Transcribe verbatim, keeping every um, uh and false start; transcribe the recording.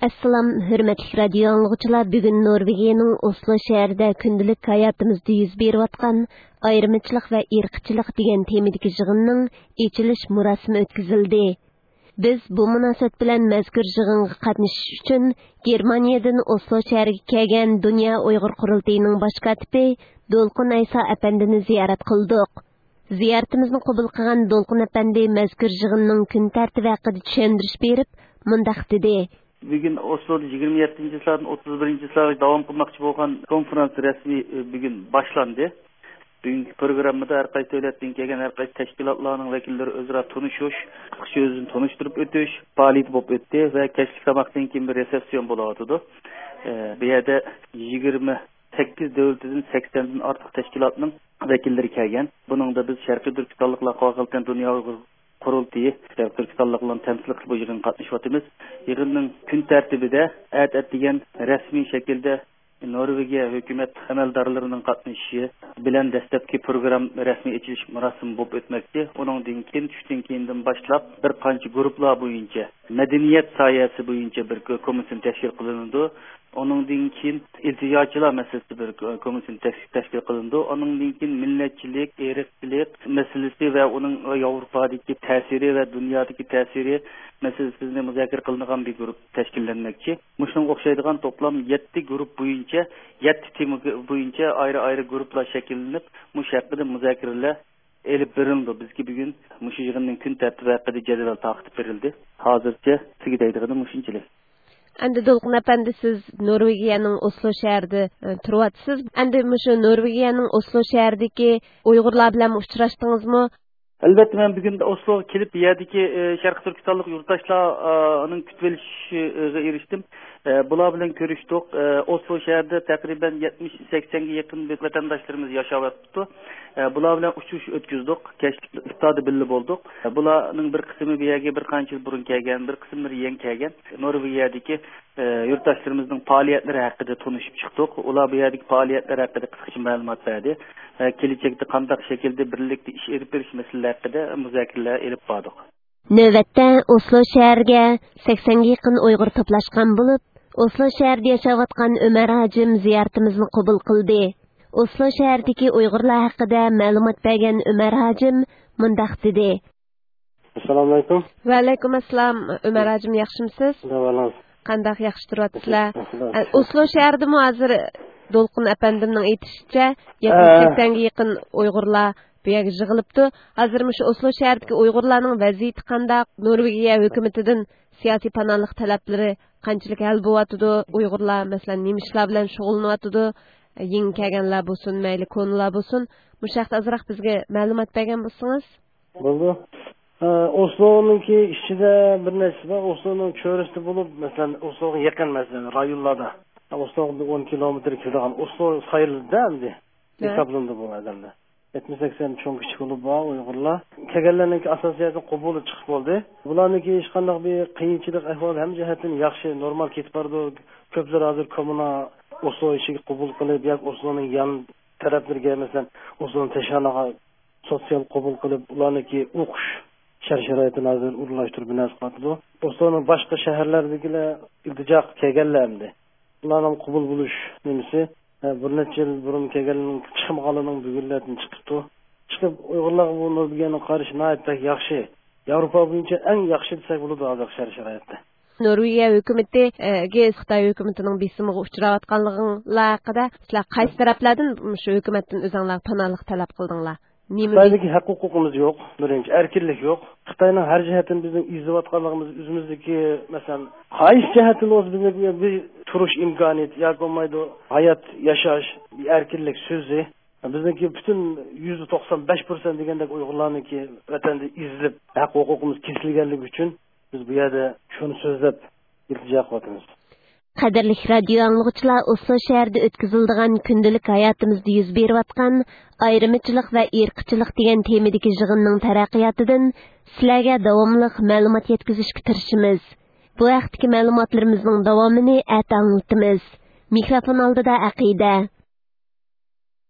ئەسسالام، ھۆرمەتلىك رادىيو ئاڭلىغۇچىلار، بۈگۈن نورۋېگىيەنىڭ ئوسلو شەھىرىدە كۈندىلىك ھاياتىمىزدا يۈز بېرىۋاتقان ئايرىمىچىلىق ۋە ئىرقچىلىق دېگەن تېمىدىكى يىغىننىڭ ئېچىلىش مۇراسىمى ئۆتكۈزۈلدى. بىز بۇ مۇناسىۋەت بىلەن مەزكۇر يىغىنغا قاتنىشىش ئۈچۈن گېرمانىيەدىن ئوسلو شەھىرىگە كەلگەن دۇنيا ئۇيغۇر قۇرۇلتىيىنىڭ باش كاتىپى دولقۇن ئەيسا ئەپەندىنى زىيارەت قىلدۇق. زىيارىتىمىزنى قوبۇل قىلغان دولقۇن ئەپەندى مەزكۇر يىغىننىڭ كۈن تەرتىپى ھەققىدە چۈشەندۈرۈش بېرىپ، مۇنداق دېدى. بۈگۈن ئوسلودا يىگىرمە يەتتىنچى چىسلادىن ئوتتۇز بىرىنچى چىسلاغىچە داۋام قىلماقچى بولغان كونفرانس رەسمىي، ئە، بۈگۈن باشلاندى. بۈگۈنكى پروگراممىدا ھەر قايسى دۆلەتتىن كەلگەن ھەر قايسى تەشكىلاتلارنىڭ ۋەكىللىرى ئۆزئارا تونۇشۇش، قىسقىچە ئۆزىنى تونۇشتۇرۇپ ئۆتۈش پائالىيىتى بولۇپ ئۆتتى ۋە كەچلىك تاماقتىن كېيىن بىر رېسېپسىيون بولۇۋاتىدۇ. ئە، بۇ يەردە يىگىرمە سەككىز دۆلىتىدىن سەكسەندىن ئارتۇق تەشكىلاتنىڭ ۋەكىللىرى كەلگەن. بۇنىڭدا بىز شەرقىي تۈركىستانلىقلار قارىقالپاقىستان دۇنيا ئۇيغۇر قۇرۇلتىيى، شەرقىي تۈركىستانلىقلارنى تەمسىل قىلىپ بۇ يىغىنغا قاتنىشىۋاتىمىز. يىغىننىڭ كۈن تەرتىپىدە ئەتە ئەتىگەن رەسمىي شەكىلدە نورۋېگىيە ھۆكۈمەت ئەمەلدارلىرىنىڭ قاتنىشىشى بىلەن دەسلەپكى پروگرام رەسمىي ئېچىلىش مۇراسىمى بولۇپ ئۆتمەكچى. ئۇنىڭدىن كېيىن، چۈشتىن كېيىندىن باشلاپ بىر قانچە گۇرۇپپىلار بويىچە، مەدەنىيەت ساھەسى بويىچە بىر كو-، كومىسسىيە تەشكىل قىلىنىدۇ. ئۇنىڭدىن كېيىن ئىلتىجاچىلار مەسىلىسى بىر كو-، كومىسسىيە تەش-، تەشكىل قىلىنىدۇ. ئۇنىڭدىن كېيىن مىللەتچىلىك، ئىرقچىلىق مەسىلىسى ۋە ئۇنىڭ ياۋروپادىكى تەسىرى ۋە دۇنيادىكى تەسىرى مەسىلىسىنى مۇزاكىرە قىلىنغان بىر گۇرۇپپا تەشكىللەنمەكچى. مۇشۇنىڭغا ئوخشايدىغان توپلام يەتتە گۇرۇپپا بويىچە، يەتتە تېما بويىچە ئايرى-ئايرى گۇرۇپپىلار شەكىللىنىپ، مۇشۇ ھەققىدە مۇزاكىرىلەر ئېلىپ بېرىلىدۇ. بىزكى بۈگۈن مۇشۇ يىغىننىڭ كۈن تەرتىپى ھەققىدە جەدۋەل تارقىتىپ بېرىلدى. ھازىرچە سىزگە دەيدىغىنىم مۇشۇنچىلىك. ئەمدى دولقۇن ئەپەندى، سىز نورۋېگىيەنىڭ ئوسلو شەھىرىدە، ئە، تۇرۇۋاتىسىز. ئەمدى مۇشۇ نورۋېگىيەنىڭ ئوسلو شەھىرىدىكى ئۇيغۇرلار بىلەن ئۇچراشتىڭىزمۇ؟ ئەلۋەتتە، مەن بۈگۈن ئوسلوغا كېلىپ، بۇ يەردىكى، ئە، شەرقىي تۈركىستانلىق يۇرتداشلارنىڭ كۈتۈۋېلىشىغا ئېرىشتىم. ئە، بۇلار بىلەن كۆرۈشتۇق. ئە، ئوسلو شەھىرىدە تەقرىبەن يەتمىش، سەكسەنگە يېقىن ۋەتەنداشلىرىمىز ياشاۋاتىدۇ. ئە، بۇلار بىلەن ئۇچرىشىش ئۆتكۈزدۇق. كەچلىك ئىپتاردا بىللە بولدۇق. ئە، بۇلارنىڭ بىر قىسمى بۇ يەرگە بىر قانچە يىل بۇرۇن كەلگەن، بىر قىسىملىرى يېڭى كەلگەن. نورۋېگىيەدىكى، ئە، يۇرتداشلىرىمىزنىڭ پائالىيەتلىرى ھەققىدە تونۇشۇپ چىقتۇق. ئۇلار بۇ يەردىكى پائالىيەتلەر ھەققىدە قىسقىچە مەلۇمات بەردى. ئە، كېلىچەكتە قانداق شەكىلدە بىرلىكتە ئىش ئېلىپ بېرىش مەسىلىلىرى ھەققىدە مۇزاكىرىلەر ئېلىپ باردۇق. نۆۋەتتە ئوسلو شەھىرىگە سەكسەنگە يېقىن ئۇيغۇر توپلاشقان بولۇپ، ئوسلو شەھىرىدە ياشاۋاتقان ئۆمەر ھاجىم زىيارىتىمىزنى قوبۇل قىلدى. ئوسلو شەھىرىدىكى ئۇيغۇرلار ھەققىدە مەلۇمات بەرگەن ئۆمەر ھاجىم مۇنداق دېدى. ئەسسالامۇئەلەيكۇم. ۋەئەلەيكۇم ئەسسالام. ئۆمەر ھاجىم، ياخشىمۇ سىز؟ دەۋالىڭىز. قانداق، ياخشى تۇرۇۋاتىسىلەر؟ ياخشى، ياخشى. ئە، ئوسلو شەھىرىدىمۇ ھازىر دولقۇن ئەپەندىمنىڭ ئېيتىشىچە، يەتمىش ئە. سەكسەنگە يېقىن ئۇيغۇرلار بۇ يەرگە يىغىلىپتۇ. ھازىر مۇشۇ ئوسلو شەھىرىدىكى ئۇيغۇرلارنىڭ ۋەزىيىتى قانداق؟ نورۋېگىيە ھۆكۈمىتىدىن سىياسىي پاناھلىق تەلەپلىرى قانچىلىك ھەل بولۇۋاتىدۇ؟ ئۇيغۇرلار، مەسىلەن، نېمە ئىشلار بىلەن شۇغۇللىنىۋاتىدۇ؟ يېڭى كەلگەنلەر بولسۇن، مەيلى كونىلار بولسۇن، مۇشۇ ھەقتە ئازراق بىزگە مەلۇمات بەرگەن بولسىڭىز. بولدى. ئە، ئوسلونىڭكى ئىچىدە بىر نەرسە بار. ئوسلونىڭ چۆرىسىدە بولۇپ، مەسىلەن، ئوسلوغا يېقىن، مەسىلەن، رايونلاردا. ئوسلوغا بىر ئون كىلومېتىر كېلىدىغان ئوسلو سايلىدى ئەمدى. ھە. ھېسابلىنىدۇ بۇ ئادەمدە. يەتمىش سەكسەن چوڭ كىچىك بولۇپ بار ئۇيغۇرلار. كەلگەنلەرنىڭكى ئاساسىي جەھەتتىن قوبۇلى چىقىپ بولدى. بۇلارنىڭكى ھېچقانداق بىر قىيىنچىلىق ئەھۋالى ھەممە جەھەتتىن ياخشى، نورمال كېتىپ بارىدۇ. كۆپلىرى ھازىر كوممۇنا ئوسلو ئىچىگە قوبۇل قىلىپ ياكى ئوسلونىڭ يان تەرەپلىرىگە، مەسىلەن، ئوسلونىڭ تەشنالىقىغا سوتسىيال قوبۇل قىلىپ، ئۇلارنىڭكى ئوقۇش شەرت-شارائىتىنى ھازىر ئورۇنلاشتۇرۇپ بىر نەرسە قىلىۋاتىدۇ. ئوسلونىڭ باشقا شەھەرلەردىكىلەر ئىلتىجا قىلىپ كەلگەنلەر ئەمدى. ئۇلارنىڭ قوبۇل بولۇش نېمىسى، ھە، بىر نەچچە يىل بۇرۇن كەلگەنلەرنىڭ چىقمىغانلىرىنىڭ بۈگۈنلەردىن چىقىپتۇ. چىقىپ، ئۇيغۇرلارغا بۇ نورۋېگىيەنىڭ قارىشى ناھايىتى بەك ياخشى. ياۋروپا بويىچە ئەڭ ياخشى دېسەك بولىدۇ ھازىرقى شەرت-شارائىتتا. نورۋېگىيە ھۆكۈمىتىگە خىتاي ھۆكۈمىتىنىڭ بېسىمىغا ئۇچراۋاتقانلىقىڭلار ھەققىدە، سىلەر قايسى تەرەپلەردىن مۇشۇ ھۆكۈمەتتىن ئۆزۈڭلار پاناھلىق تەلەپ قىلدىڭلار؟ نېمە؟ خىتايدىكى ھەق ھوقۇقىمىز يوق، بىرىنچى، ئەركىنلىك يوق. خىتاينىڭ ھەر جەھەتتىن بىزنىڭ ئېزىۋاتقانلىقىمىز، ئۆزىمىزدىكى، مەسىلەن، قايسى جەھەتتىن بولسا بىزنىڭ بىر تۇرۇش ئىمكانىيىتى ياكى بولمايدۇ، ھايات ياشاش، ئەركىنلىك سۆزى. بىزنىڭكى پۈتۈن يۈزدە توقسان بەش پىرسەنت دېگەندەك ئۇيغۇرلارنىڭكى ۋەتەندە ئېزىلىپ، ھەق ھوقۇقىمىز كېسىلگەنلىكى ئۈچۈن بىز بۇ يەردە شۇنى سۆزلەپ ئىلتىجا قىلىۋاتىمىز. قەدىرلىك رادىيو ئاڭلىغۇچىلار، ئوسلو شەھىرىدە ئۆتكۈزۈلىدىغان كۈندىلىك ھاياتىمىزدا يۈز بېرىۋاتقان ئايرىمىچىلىق ۋە ئىرقچىلىق دېگەن تېمىدىكى يىغىننىڭ تەرەققىياتىدىن سىلەرگە داۋاملىق مەلۇمات يەتكۈزۈشكە تىرىشىمىز. بۇ ھەقتىكى مەلۇماتلىرىمىزنىڭ داۋامىنى ئەتە ئاڭلىتىمىز. مىكروفون ئالدىدا ئەقىدە.